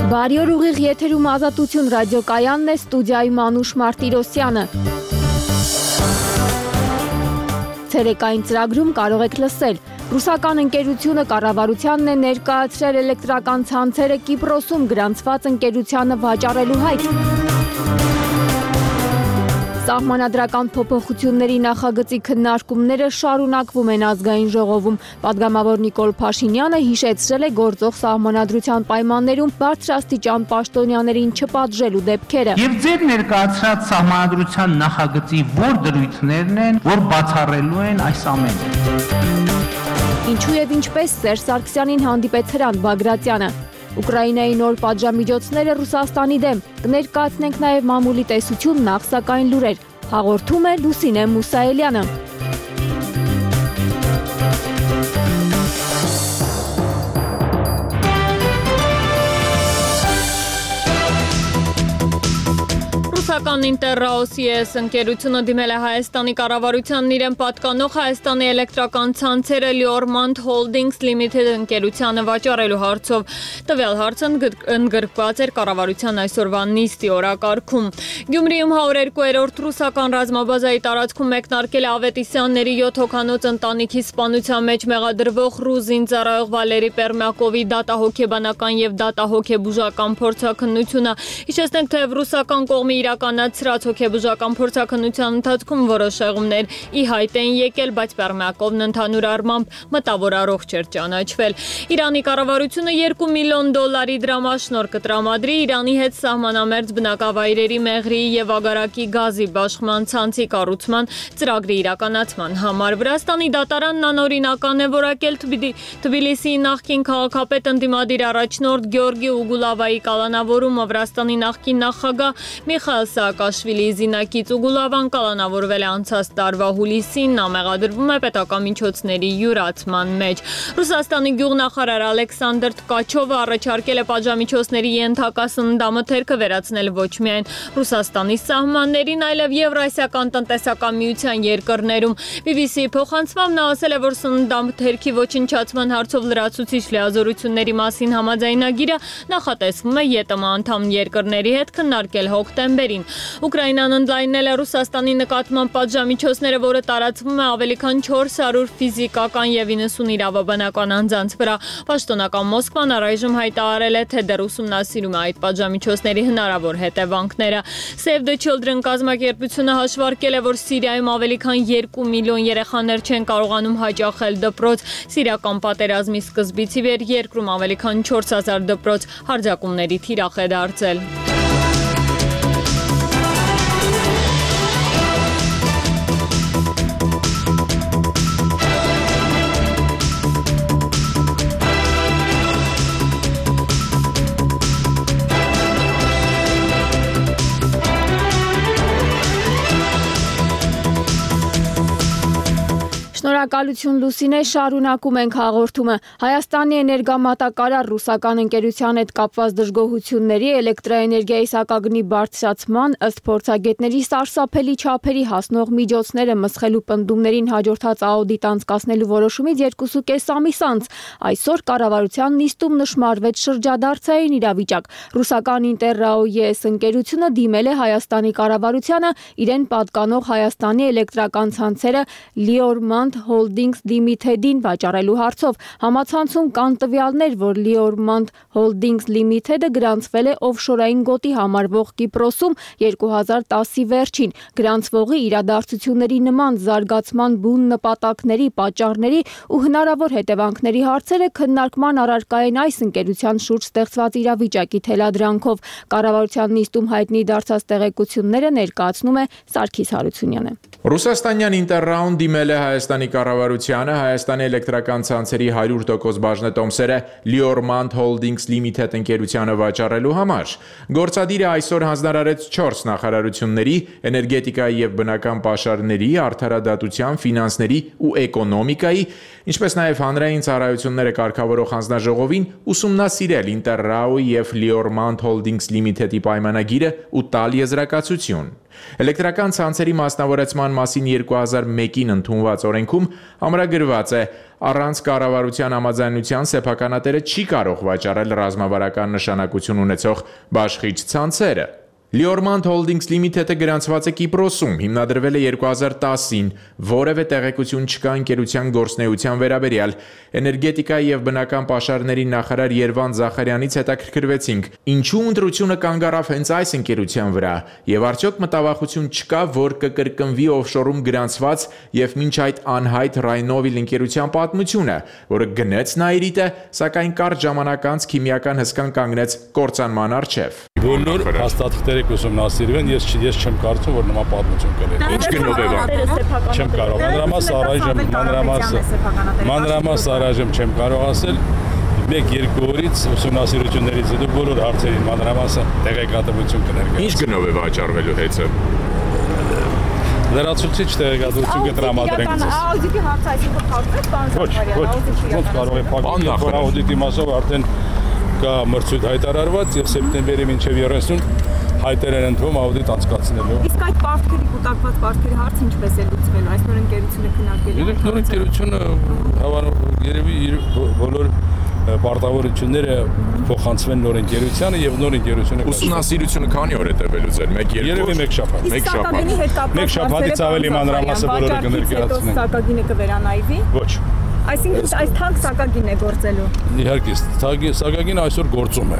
Բարի օր ուղիղ եթերում Ազատություն ռադիոկայանն է, ստուդիայում Անուշ Մարտիրոսյանը։ Ցերեկային ծրագրում կարող եք լսել. Ռուսական ընկերությունը կառավարությանն է ներկայացրել էլեկտրական ցանցերը Կիպրոսում գրանցված ընկերությանը վաճառելու հայտ։ Սահմանադրական փոփոխությունների նախագծի քննարկումները շարունակվում են ազգային ժողովում։ Պատգամավոր Նիկոլ Փաշինյանը հիշեցրել է գործող սահմանադրության պայմաններում բարձրաստիճան պաշտոնյաներին չպատժելու դեպքերը։ Եվ ձեր ներկայացրած սահմանադրության նախագծի որ դրույթներն են, որ բացառելու են այս ամենը։ Ինչու եւ ինչպես Սերժ Սարգսյանին հանդիպեց Հրանտ Բագրատյանը։ Ուկրաինայի նոր պատժամիջոցները Ռուսաստանի դեմ։ Կներկայացնենք նաև մամուլի տեսություն, նախ սակայն լուրեր։ Հաղորդում է Լուսինե Մուսայելյանը։ Ռուսական Ինտերրաոս ընկերությունը դիմել է Հայաստանի կառավարությանն իրեն պատկանող Հայաստանի էլեկտրական ցանցերը Liormand Holdings Limited ընկերությանը վաճառելու հարցով։ Տվյալ հարցը ընդգրկված էր կառավարության այսօրվա նիստի օրակարգում։ Գյումրիում 102-րդ ռուսական ռազմաբազայի տարածքում մեկնարկել է Ավետիսյանների 7 հոգանոց ընտանիքի սպանության մեջ մեղադրվող ռուս զինծառայող Վալերի Պերմյակովի դատահոգեբանական եւ դատահոգեբուժական փորձաքննությունը։ Հիշեցնենք, թե ռուսական կողմի իրականացրած հոգեբուժական փորձաքննության ընթացքում որոշ շեղումներ ի հայտ են եկել, բայց Պերմյակովն ընդհանուր առմամբ մտավոր առողջ էր ճանաչվել։ Իրանի կառավարությունը $2 միլիոն դրամաշնորհ կտրամադրի Իրանի հետ սահմանամերձ բնակավայրերի մեղրի եւ ագարակի գազի բաշխման ցանցի կառուցման ծրագրի իրականացման համար։ Վրաստանի դատարանն անօրինական է որակել Թբիլիսիի նախկին քաղաքապետ ընդդիմադիր առաջնորդ Գյորգի Ուգուլավայի կալանավորումը։ Վրաստանի նախկին նախագահ Միխայել Սաակաշվիլիի զինակից Ուգուլավան կալանավորվել է անցած տարվա հուլիսին, նա մեղադրվում է պետական միջոցների յուրացման մեջ։ Ռուսաստանի գյուղնախարար Ալեքսանդր Tkachov-ը առաջարկել է պատժամիջոցների ենթակա սննդամթերքը վերացնել ոչ միայն Ռուսաստանի սահմաններին, այլև Եվրասիական տնտեսական միության երկրներում։ BBC-ի փոխանցմամբ նա ասել է, որ սննդամթերքի ոչնչացման հարցով լրացուցիչ լիազորությունների մասին համաձայնագիրը նախատեսվում է ԵՏՄ անդամ երկրների հետ քննարկել հոկտեմբերին։ Ուկրաինան ընդլայնել է Ռուսաստանի նկատմամբ պատժամիջոցները, որը տարածվում է ավելի քան 400 ֆիզիկական եւ 90 իրավաբանական անձանց վրա։ Պաշտոնական Մոսկվան առայժմ հայտարարել է, թե դեռ ուսումնասիրում է այդ պատժամիջոցների հնարավոր հետևանքները։ Save the Children կազմակերպությունը հաշվարկել է, որ Սիրիայում ավելի քան 2 միլիոն երեխաներ չեն կարողանում հաճախել դպրոց։ Սիրիական պատերազմի սկզբից ի վեր երկրում ավելի քան 4000 դպրոց հարձակումների թիրախ է դարձել։ Շնորհակալություն Լուսինե, շարունակում ենք հաղորդումը։ Հայաստանի էներգամատակարար ռուսական ընկերության հետ կապված դժգոհությունների, էլեկտրաէներգիայի սակագնի բարձրացման, ըստ փորձագետների սարսափելի չափերի հասնող միջոցները մսխելու պնդումներին հաջորդած աուդիտ անցկացնելու որոշումից 2.5 ամիս անց այսօր կառավարության նիստում նշմարվեց շրջադարձային իրավիճակ։ Ռուսական Ինտերրաոս ընկերությունը դիմել է Հայաստանի կառավարությանը իրեն պատկանող Հայաստանի էլեկտրական ցանցերը Liormand Holdings Limited-ին վաճառելու հարցով։ Համացանցում կան տվյալներ, որ Liormand Holdings Limited-ը գրանցվել է օֆշորային գոտի համարվող Կիպրոսում 2010-ի վերջին։ Գրանցվողի իրադարձությունների նման զարգացման բուն նպատակների, պատճառների ու հնարավոր հետևանքների հարցերը քննարկման առարկա են այս ընկերության շուրջ ստեղծված իրավիճակի թելադրանքով։ Կառավարության նիստում հայտնի դարձած տեղեկությունները ներկայացնում է Սարգիս Հարությունյանը։ Ռուսաստանյան Ինտերրաուն դիմել է Հայաստանի կառավարությանը Հայաստանի էլեկտրական ցանցերի 100% բաժնետոմսերը Liormand Holdings Limited ընկերությանը վաճառելու համար։ Գործադիրը այսօր հանձնարարեց 4 նախարարությունների՝ էներգետիկայի եւ բնական պաշարների, արդարադատության, ֆինանսների ու էկոնոմիկայի, ինչպես նաև հանրային ծառայությունները կարգավորող հանձնաժողովին ուսումնասիրել Ինտերրաուի եւ Liormand Holdings Limited-ի պայմանագիրը ու տալ եզրակացություն։ Էլեկտրական ցանցերի մասնավորեցման մասին 2001-ին ընդունված օրենքում ամրագրված է. առանց կառավարության համաձայնության սեփականատերը չի կարող վաճառել ռազմավարական նշանակություն ունեցող բաշխիչ ցանցերը։ Liormand Holdings Limited-ը գրանցված է Կիպրոսում, հիմնադրվել է 2010-ին, որևէ տեղեկություն չկա ընկերության գործունեության վերաբերյալ։ Էներգետիկայի եւ բնական պաշարների նախարար Երվանդ Զախարյանից հետաքրքրվեցինք, ինչու ընտրությունը կանգ առավ հենց այս ընկերության վրա, եւ արդյոք մտավախություն չկա, որ կկրկնվի օֆշորում գրանցված եւ մինչ այդ անհայտ Rhinoil ընկերության պատմությունը, որը գնեց Nairi-ը, սակայն կարճ ժամանակ անց քիմիական հսկան կանգնեց կործանման առջև։ Բոլոր հաստատքները կուսումնասիրվեն, ես չեմ կարծում, որ նման պատմություն կլինի։ Ինչ գնով է Չեմ կարող, մանրամաս առայժմ չեմ կարող ասել, 1-2 օրից ուսումնասիրություններից հետո բոլոր հարցերին մանրամասը տեղեկատվություն կներկայացնի։ Ինչ գնով է վաճառվելու հեծը։ Լրացուցիչ տեղեկատվություն կտրամադրենք ձեզ։ Աուդիտի հարցը այսինքն փակվեց, պարոն Զախարյան, ոնց կարող է փակվել, աուդիտի մասով արդեն կա մրցույթ հայտարարված եւ սեպտեմբերի մինչեւ 30 հայտեր են ընդվում աուդիտ անցկացնելու։ Իսկ այդ պարտքերի կուտակված պարտքերի հարցը ինչպես է լուծվելու։ Այս նոր ընկերությունը քննարկել է։ Նոր ընկերությունը երևի իր բոլոր պարտավորությունները փոխանցվեն նոր ընկերությանը եւ նոր ընկերությունը ուսումնասիրությունը քանի օր է տևելու ձեր 1-2 երևի 1 շաբաթ։ 1 շաբաթ։ 1 շաբաթից ավելի մանրամասը բոլորը կներկայացնեն։ Սակագինը կվերանայվի։ Ոչ։ Այսինքն այս թանկ սակագինն է գործելու։ Իհարկե, սակագինը այսօր գործում է։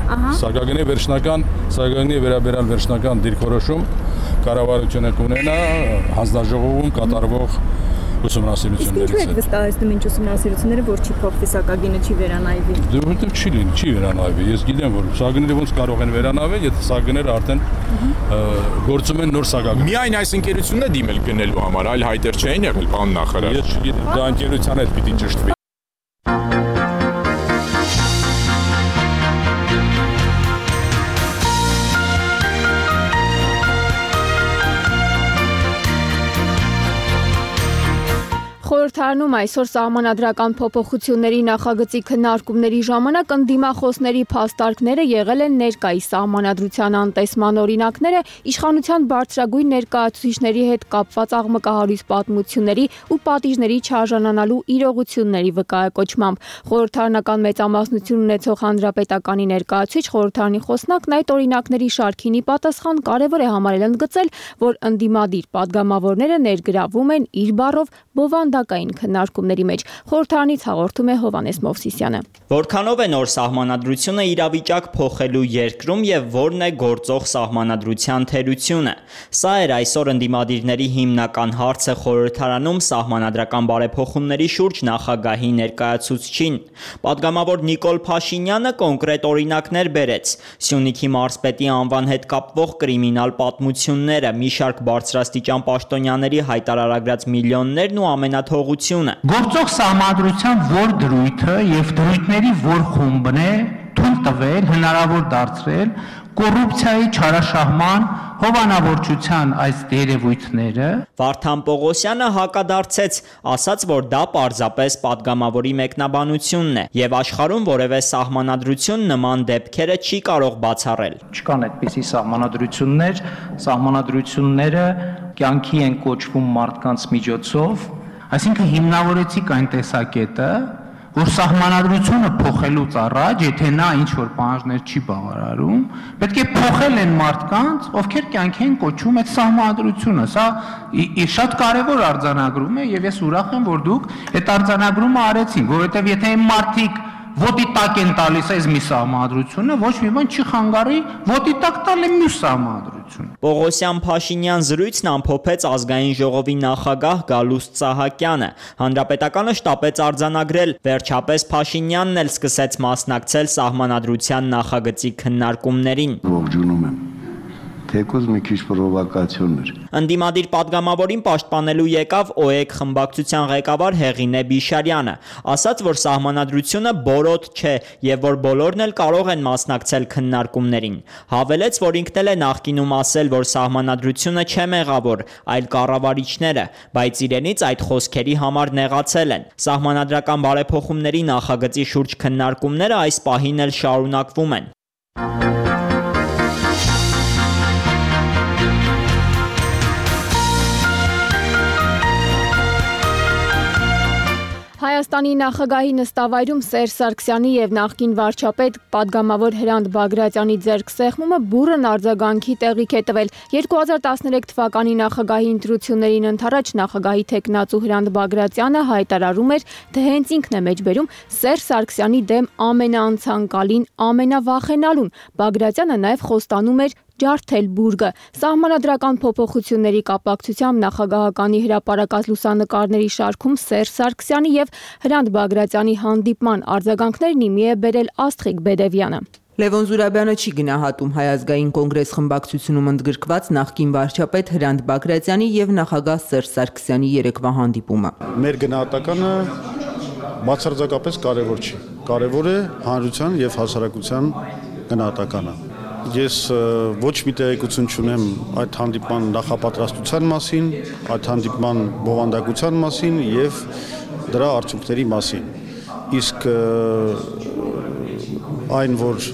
Սակագինի վերաբերյալ վերջնական դիրքորոշում կառավարությունը կունենա հանձնաժողովում կատարվող ուսումնասիրություններից։ Ինչու եք վստահեցնում ինչ ուսումնասիրությունները, որ չի փոխվի սակագինը չի վերանայվի։ Որովհետև չի վերանայվի։ Ես գիտեմ, որ սակագինները ոնց կարող են վերանայվել, եթե սակագինները արդեն գործում են նոր սակագին։ Միայն այս ընկերությունն է դիմել գնելու համար, այլ հայտեր չէին եղել, պարոն նախարար։ Ես չգիտեմ, դա ընկերության հետ պիտի ճշտվի։ Խորհրդարանում այսօր սահմանադրական փոփոխությունների նախագծի քննարկումների ժամանակ ընդդիմախոսների փաստարկները եղել են ներկայիս սահմանադրության անտեսման օրինակները, իշխանության բարձրագույն ներկայացուցիչների հետ կապված աղմկահարույց պատմությունների ու պատիժների չարժանանալու իրողությունների վկայակոչմամբ։ Խորհրդարանական մեծամասնություն ունեցող հանրապետականի ներկայացուցիչ խորհրդարանի խոսնակն այդ օրինակների շարքին ի պատասխան կարևոր է համարել ընդգծել, որ ընդդիմադիր падգամավորները ներգրավում են իր բառով բովանդակային քննարկումների մեջ։ Խորհրդարանից հաղորդում է Հովհաննես Մովսիսյանը։ Որքանով է նոր սահմանադրությունը իրավիճակ փոխելու երկրում եւ որն է գործող սահմանադրության թերությունը։ Սա էր այսօր ընդդիմադիրների հիմնական հարցը խորհրդարանում սահմանադրական բարեփոխումների շուրջ նախագահի ներկայացուցչին։ Պատգամավոր Նիկոլ Փաշինյանը կոնկրետ օրինակներ բերեց։ Սյունիքի մարզպետի անվան հետ կապվող կրիմինալ պատմությունները, մի շարք բարձրաստիճան պաշտոնյաների հայտարարագրած միլիոններն ու ամենաթողությունը։ Գործող սահմանադրության որ դրույթը եւ դրույթների որ խումբն է թույլ տվել հնարավոր դարձրել կոռուպցիայի չարաշահման հովանավորչության այս երևույթները։ Վարդան Պողոսյանը հակադարձեց, ասաց, որ դա պարզապես падգամավորի մեկնաբանությունն է եւ աշխարհում որևէ սահմանադրություն նման դեպքերը չի կարող բացառել։ Չկան այդպիսի սահմանադրությունները կյանքի են կոչվում մարդկանց միջոցով, այսինքն հիմնավորեցիք այն տեսակետը, որ սահմանադրությունը փոխելուց առաջ, եթե նա ինչ-որ պահանջներ չի բավարարում, պետք է փոխել են մարդկանց, ովքեր կյանքի են կոչում այդ սահմանադրությունը։ Սա շատ կարևոր արձանագրում է եւ ես ուրախ եմ, որ դուք այդ արձանագրումը արեցիք, որովհետեւ եթե այն մարդիկ ոտի տակ են տալիս այս մի սահմանադրությունը, ոչ մի բան չի խանգարի ոտի տակ տալ մյուս սահմանադրությունը։ Պողոսյան-Փաշինյան զրույցն ամփոփեց ազգային ժողովի նախագահ Գալուստ Սահակյանը։ Հանրապետականը շտապեց արձանագրել, վերջապես Փաշինյանն էլ սկսեց մասնակցել սահմանադրության նախագծի քննարկումներին։ Ողջունում եմ։ Թեկուզ մի քիչ պրովոկացիոն էր։ Ընդդիմադիր падգամավորին պաշտպանելու եկավ ՕԵԿ խմբակցության ղեկավար Հեղինե Բիշարյանը, ասաց, որ սահմանադրությունը բորոտ չէ եւ որ բոլորն էլ կարող են մասնակցել քննարկումներին։ Հավելեց, որ ինքն էլ է նախկինում ասել, որ սահմանադրությունը չէ մեղավոր, այլ կառավարիչները, բայց իրենից այդ խոսքերի համար նեղացել են։ Սահմանադրական բարեփոխումների նախագծի շուրջ քննարկումները այս պահին էլ շարունակվում են։ Հայաստանի նախագահի նստավայրում Սերժ Սարգսյանի եւ նախկին վարչապետ պատգամավոր Հրանտ Բագրատյանի ձեռքսեղմումը բուռն արձագանքի տեղիք է տվել։ 2013 թվականի նախագահի ընտրություններին ընդառաջ նախագահի թեկնածու Հրանտ Բագրատյանը հայտարարում էր, թե հենց ինքն է մեջբերում Սերժ Սարգսյանի դեմ ամենաանցանկալին, ամենավախենալուն։ Բագրատյանը նաեւ խոստանում էր ջարդել բուրգը։ Սահմանադրական փոփոխությունների կապակցությամբ նախագահականի հրապարակած լուսանկարների շարքում Սերժ Սարգսյանի եւ Հրանտ Բագրատյանի հանդիպման արձագանքներն իմի է բերել Աստղիկ Բեդևյանը։ Լևոն Զուրաբյանը չի գնահատում Հայ ազգային կոնգրես խմբակցությունում ընդգրկված նախկին վարչապետ Հրանտ Բագրատյանի եւ նախագահ Սերժ Սարգսյանի երեկվա հանդիպումը։ Մեր գնահատականը բացարձակապես կարևոր չի։ Կարևոր է հանրության եւ հասարակության գնահատականը։ Ես ոչ մի տեղեկություն չունեմ այդ հանդիպման նախապատրաստության մասին, այդ հանդիպման բովանդակության մասին եւ դրա արդյունքների մասին։ Իսկ այն, որ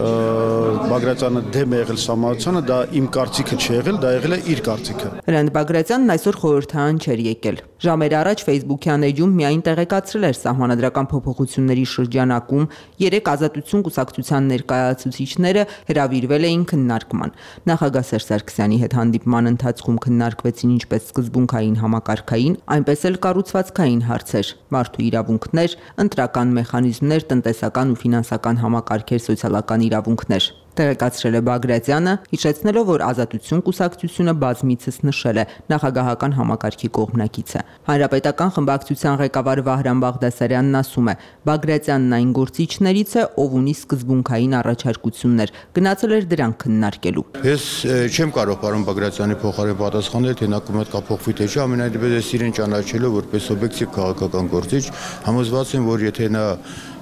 Բագրատյանը դեմ է եղել սահմանադրությանը, դա իմ կարծիքը չի եղել, դա եղել է իր կարծիքը։ Հրանտ Բագրատյանն այսօր խորհրդարան չէր եկել։ Ժամեր առաջ Facebook-յան էջում միայն տեղեկացրել էր սահմանադրական փոփոխությունների շրջանակում 3 ազատություն կուսակցության ներկայացուցիչները հրավիրվել էին քննարկման։ Նախագահ Սերժ Սարգսյանի հետ հանդիպման ընթացքում քննարկվեցին ինչպես սկզբունքային համակարգային, այնպես էլ կառուցվածքային հարցեր՝ մարդու իրավունքներ, ընտրական մեխանիզմներ, տնտեսական ու ֆինանսական համակարգեր, սոցիալական իրավունքներ։ Տեղեկացրել է Բագրատյանը, հիշեցնելով, որ Ազատություն կուսակցությունը բազմիցս նշել է նախագահական համակարգի կողմնակից է։ Հանրապետական խմբակցության ղեկավար Վահրամ Բաղդասարյանն ասում է, Բագրատյանն այն գործիչներից է, ով ունի սկզբունքային առաջարկություններ, գնացել էր դրանք քննարկելու։ Ես չեմ կարող պարոն Բագրատյանի փոխարեն պատասխանել, թե նա կողմնակա փոխվի թե չէ, ամենայնիվ ես իրեն ճանաչելով որպես օբյեկտիվ քաղաքական գործիչ, համոզված եմ, որ եթե նա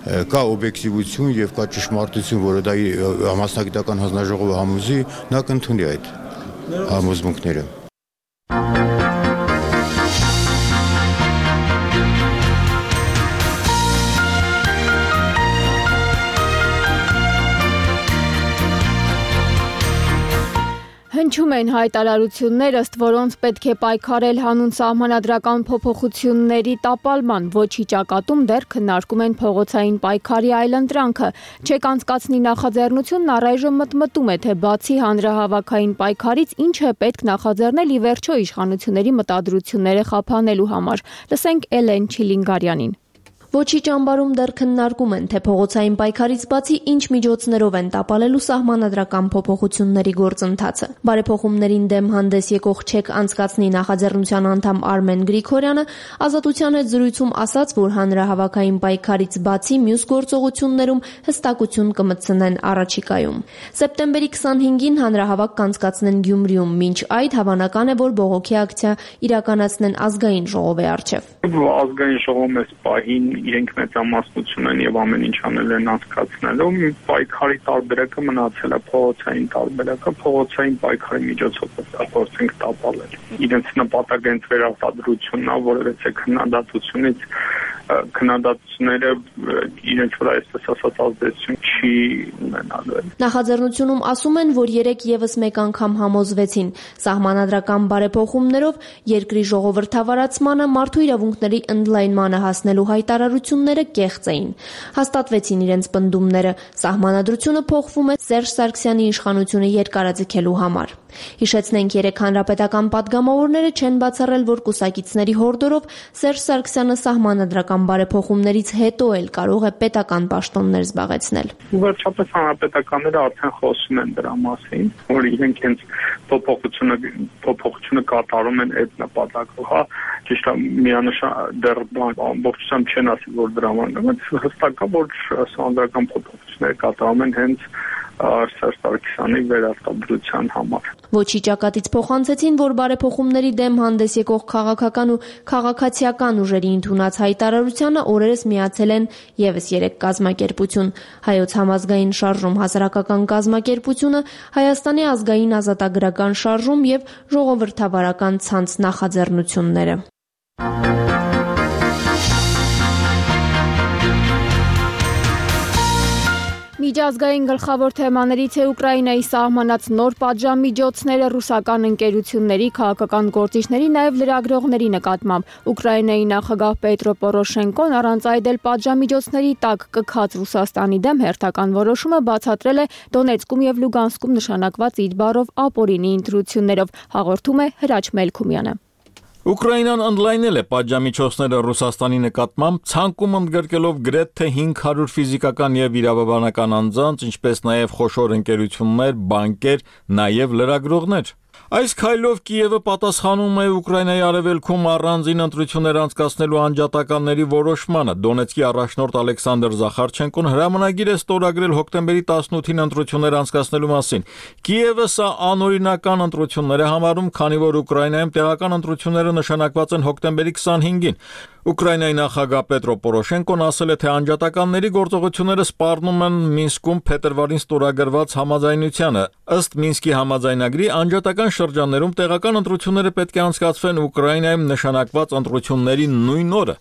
կա օբյեկտիվություն եւ կա ճշմարտություն, որը դա համասնագիտական հանձնաժողովը համոզի, նա կընդունի այդ համոզմունքները։ Հնչում են հայտարարություններ, ըստ որոնց պետք է պայքարել հանուն սահմանադրական փոփոխությունների տապալման, ոչի ճակատում դեռ քննարկում են փողոցային պայքարի այլընտրանքը։ Չեք անցկացնի նախաձեռնությունն առայժմ մտմտում է, թե բացի հանրահավաքային պայքարից ինչ է պետք նախաձեռնել ի վերջո իշխանությունների մտադրությունները խափանելու համար։ Լսենք Էլեն Չիլինգարյանին։ Ոչի ճամբարում դեռ քննարկում են, թե փողոցային պայքարից բացի ինչ միջոցներով են տապալելու սահմանադրական փոփոխությունների գործընթացը։ Բարեփոխումներին դեմ հանդես եկող չեք անցկացնի նախաձեռնության անդամ Արմեն Գրիգորյանը Ազատության հետ զրույցում ասաց, որ հանրահավաքային պայքարից բացի մյուս գործողություններում հստակություն կմտցնեն առաջիկայում։ Սեպտեմբերի 25-ին հանրահավաք կանցկացնեն Գյումրիում, մինչ այդ հավանական է, որ բողոքի ակցիա իրականացնեն ազգային ժողովի առջև։ Ազգային ժողովը պահին իրենք մեծամասնություն են եւ ամեն ինչ անել են անցկացնելու։ Պայքարի տարբերակը մնացել է փողոցային տարբերակը, փողոցային պայքարի միջոցով փորձենք տապալել։ Իրենց նպատակը հենց վերարտադրությունն է, որովհետեւ քննադատությունից քննադատությունները իրենց վրա այսպես ասած ազդեցություն չի ունենալու։ Նախաձեռնությունում ասում են, որ 3 եւս մեկ անգամ համոզվեցին սահմանադրական բարեփոխումներով երկրի ժողովրդավարացմանը, մարդու իրավունքների ընդլայնմանը հասնելու հայտարարությունները կեղծ էին։ Հաստատվեցին իրենց պնդումները։ Սահմանադրությունը փոխվում է Սերժ Սարգսյանի իշխանությունը երկարաձգելու համար։ Հիշեցնենք, 3 հանրապետական պատգամավորները չեն բացառել, որ կուսակիցների հորդորով Սերժ Սարգսյանը սահմանադրական բարեփոխումներից հետո էլ կարող է պետական պաշտոններ զբաղեցնել։ Վերջապես հանրապետականները արդեն խոսում են դրա մասին, որ իրենք հենց փոփոխությունը կատարում են այդ նպատակով, հա, ճիշտ է, միանշան դեռ ամբողջությամբ չեն ասի, որ դրա համար, հստակ է, որ սահմանադրական փոփոխությունները կատարում են հենց Սերժ Սարգսյանի վերարտադրության համար։ Ոչի ճակատից փոխանցեցին, որ բարեփոխումների դեմ հանդես եկող քաղաքական ու քաղաքացիական ուժերի ընդունած հայտարարությանը օրերս միացել են եւս 3 կազմակերպություն՝ Հայոց համազգային շարժում հասարակական կազմակերպությունը, Հայաստանի ազգային ազատագրական շարժում եւ ժողովրդավարական ցանց նախաձեռնությունները։ Միջազգային գլխավոր թեմաներից է Ուկրաինայի սահմանած նոր պատժամիջոցները ռուսական ընկերությունների, քաղաքական գործիչների, նաև լրագրողների նկատմամբ։ Ուկրաինայի նախագահ Պետրո Պորոշենկոն առանց այդ էլ պատժամիջոցների տակ կքած Ռուսաստանի դեմ հերթական որոշումը բացատրել է Դոնեցկում եւ Լուգանսկում նշանակված իր բառով ապօրինի ընտրություններով, հաղորդում է Հրաչ Մելքումյանը։ Ուկրաինան ընդլայնել է պատժամիջոցները Ռուսաստանի նկատմամբ, ցանկում ընդգրկելով գրեթե 500 ֆիզիկական եւ իրավաբանական անձանց, ինչպես նաեւ խոշոր ընկերություններ, բանկեր, նաեւ լրագրողներ։ Այս քայլով Կիևը պատասխանում է Ուկրաինայի արևելքում առանձին ընտրություններ անցկացնելու անջատականների որոշմանը։ Դոնեցկի առաջնորդ Ալեքսանդր Զախարչենկոն հրամանագիր է ստորագրել հոկտեմբերի 18-ին ընտրություններ անցկացնելու մասին։ Կիևը սա անօրինական ընտրություններ է համարում, քանի որ Ուկրաինայում տեղական ընտրությունները նշանակված են հոկտեմբերի 25-ին։ Ուկրաինայի նախագահ Պետրո Պորոշենկոն ասել է, թե անջատականների գործողությունները սպառնում են Մինսկում փետրվարին ստորագրված համաձայնությանը։ Ըստ Մինսկի համաձայնագրի անջատական շրջաններում տեղական ընտրությունները պետք է անցկացվեն Ուկրաինայում նշանակված ընտրությունների նույն օրը։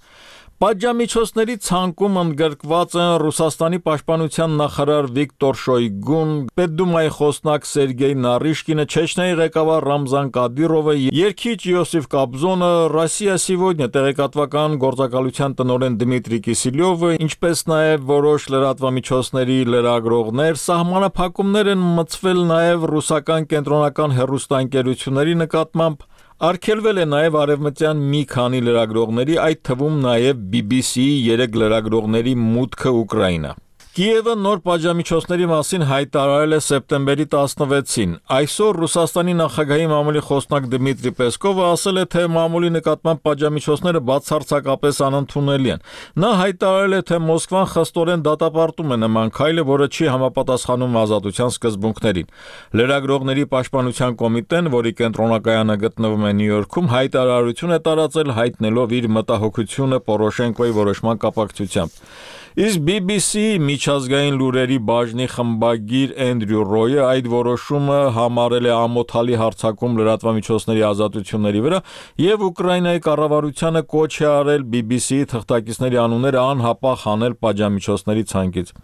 Պատժամիջոցների ցանկում ընդգրկված են Ռուսաստանի պաշտպանության նախարար Վիկտոր Շոյգուն, Պետդումայի խոսնակ Սերգեյ Նարիշկինը, Չեչնիայի ղեկավար Ռամզան Կադիրովը, երգիչ Յոսիֆ Կաբզոնը, Ռոսիա Սիվոդնյա տեղեկատվական գործակալության տնօրեն Դմիտրի Կիսիլյովը, ինչպես նաև որոշ լրատվամիջոցների լրագրողներ, սահմանափակումներ են մտցվել նաև ռուսական կենտրոնական հեռուստաընկերությունների նկատմամբ։ Արգելվել է նաև արևմտյան մի քանի լրագրողների, այդ թվում նաև BBC-ի 3 լրագրողների մուտքը Ուկրաինա։ Կիևը նոր պատժամիջոցների մասին հայտարարել է սեպտեմբերի 16-ին։ Այսօր Ռուսաստանի նախագահի մամուլի խոսնակ Դմիտրի Պեսկովը ասել է, թե մամուլի նկատմամբ պատժամիջոցները բացարձակապես անընդունելի են։ Նա հայտարարել է, թե Մոսկվան խստորեն դատապարտում է նման քայլը, որը չի համապատասխանում ազատության սկզբունքներին։ Լրագրողների պաշտպանության կոմիտեն, որի կենտրոնակայանը գտնվում է Նյու Յորքում, հայտարարություն է տարածել հայտնելով իր մտահոգությունը Պորոշենկոյի որոշման կապակցությամբ։ Իսկ BBC-ի միջազգային լուրերի բաժնի խմբագիր Էնդրյու Ռոյը այդ որոշումը համարել է ամոթալի հարձակում լրատվամիջոցների ազատությունների վրա եւ Ուկրաինայի կառավարությանը կոչ է արել BBC-ի թղթակիցների անունները անհապաղ հանել պատժամիջոցների ցանկից։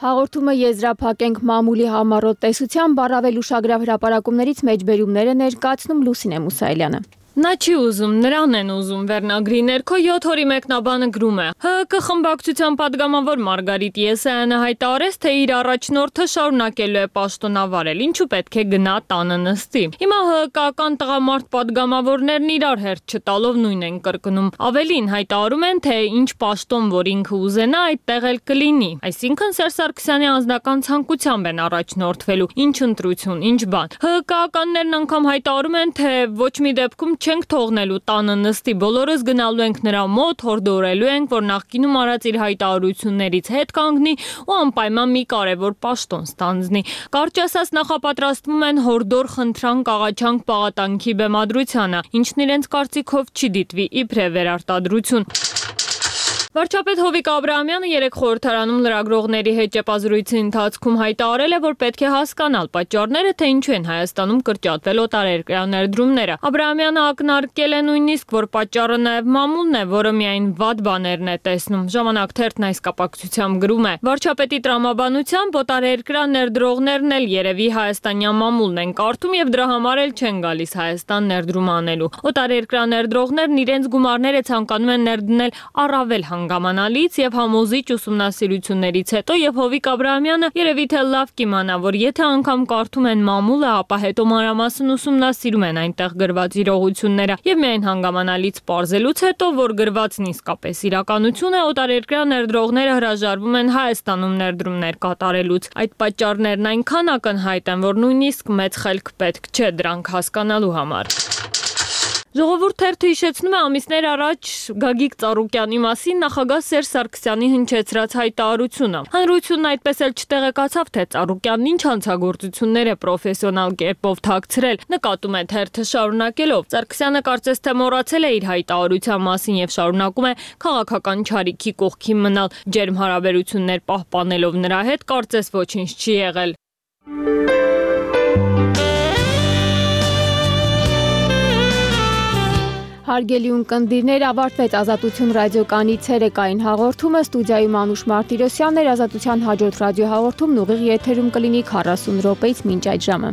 Հաղորդումը եզրափակենք մամուլի համառոտ տեսությամբ, առավել ուշագրավ հրապարակումներից մեջբերումներ է ներկայացնում Լուսինե Մուսայելյանը։ Նա չի ուզում, նրան են ուզում վերնագրի ներքո 7 օրի մեկնաբանը գրում է. ՀԿ խմբակցության падգամավոր Մարգարիտ Եսայանը հայտարարեց, թե իր առաջնորդը շարունակելու է պաշտոնավարել, ինչու պետք է գնա տանը նստի։ Հիմա ՀԿ-ական տղամարդ падգամավորներն իրար հերթ չտալով նույն են կրկնում։ Ավելին հայտարարում են, թե ինչ պաշտոն որ ինքը ուզենա, այդտեղ էլ կլինի։ Այսինքն Սերժ Սարգսյանի անձնական ցանկությամբ են առաջնորդվելու, ինչ ընտրություն, ինչ բան։ ՀԿ-ականներն անգամ հայտարարում են, թե ոչ մի դեպքում չենք թողնելու տանը նստի, բոլորս գնալու ենք նրա մոտ, հորդորելու ենք, որ նախկինում արած իր հայտարարություններից հետ կանգնի ու անպայման մի կարևոր պաշտոն ստանձնի։ Կարճ ասած նախապատրաստվում են հորդոր խնդրանք աղաչանք պաղատանքի բեմադրությանը, ինչն իրենց կարծիքով չի դիտվի իբրև վերարտադրություն։ Վարչապետ Հովիկ Աբրահամյանը երեկ խորհրդարանում լրագրողների հետ ճեպազրույցի ընթացքում հայտարարել է, որ պետք է հասկանալ պատճառները, թե ինչու են Հայաստանում կրճատվել օտարերկրյա ներդրումները։ Աբրահամյանը ակնարկել է նույնիսկ, որ պատճառը նաև մամուլն է, որը միայն վատ բաներն է տեսնում։ Ժամանակ թերթն այս կապակցությամբ գրում է. Վարչապետի տրամաբանությամբ օտարերկրյա ներդրողներն էլ երևի հայաստանյան մամուլն են կարդում եւ դրա համար էլ չեն գալիս Հայաստան ներդրում անելու։ Օտարերկրյա ներդրողներն իրենց գումարները ցանկանում են ներդնել առավել հանգամանալից եւ համոզիչ ուսումնասիրություններից հետո եւ Հովիկ Աբրահամյանը երևի թե լավ կիմանա, որ եթե անգամ կարդում են մամուլը, ապա հետո մանրամասն ուսումնասիրում են այնտեղ գրված իրողությունները եւ միայն հանգամանալից պարզելուց հետո, որ գրվածն իսկապես իրականություն է, օտարերկրյա ներդրողները հրաժարվում են Հայաստանում ներդրումներ կատարելուց։ Այդ պատճառներն այնքան ակնհայտ են, որ նույնիսկ մեծ խելք պետք չէ դրանք հասկանալու համար։ Ժողովուրդ թերթը հիշեցնում է ամիսներ առաջ Գագիկ Ծառուկյանի մասին նախագահ Սերժ Սարգսյանի հնչեցրած հայտարարությունը։ Հանրությունն այդպես էլ չտեղեկացավ, թե Ծառուկյանն ինչ հանցագործություններ է պրոֆեսիոնալ կերպով թաքցրել, նկատում է թերթը շարունակելով։ Սարգսյանը կարծես թե մոռացել է իր հայտարարության մասին եւ շարունակում է քաղաքական չարիքի կողքի մնալ, ջերմ հարաբերություններ պահպանելով նրա հետ, կարծես ոչինչ չի եղել։ Հարգելի ունկնդիրներ, ավարտվեց Ազատություն ռադիոկայանի ցերեկային հաղորդումը, ստուդիայում Անուշ Մարտիրոսյանն էր, Ազատության հաջորդ ռադիոհաղորդումն ուղիղ եթերում կլինի 40 րոպեից մինչ այդ ժամը։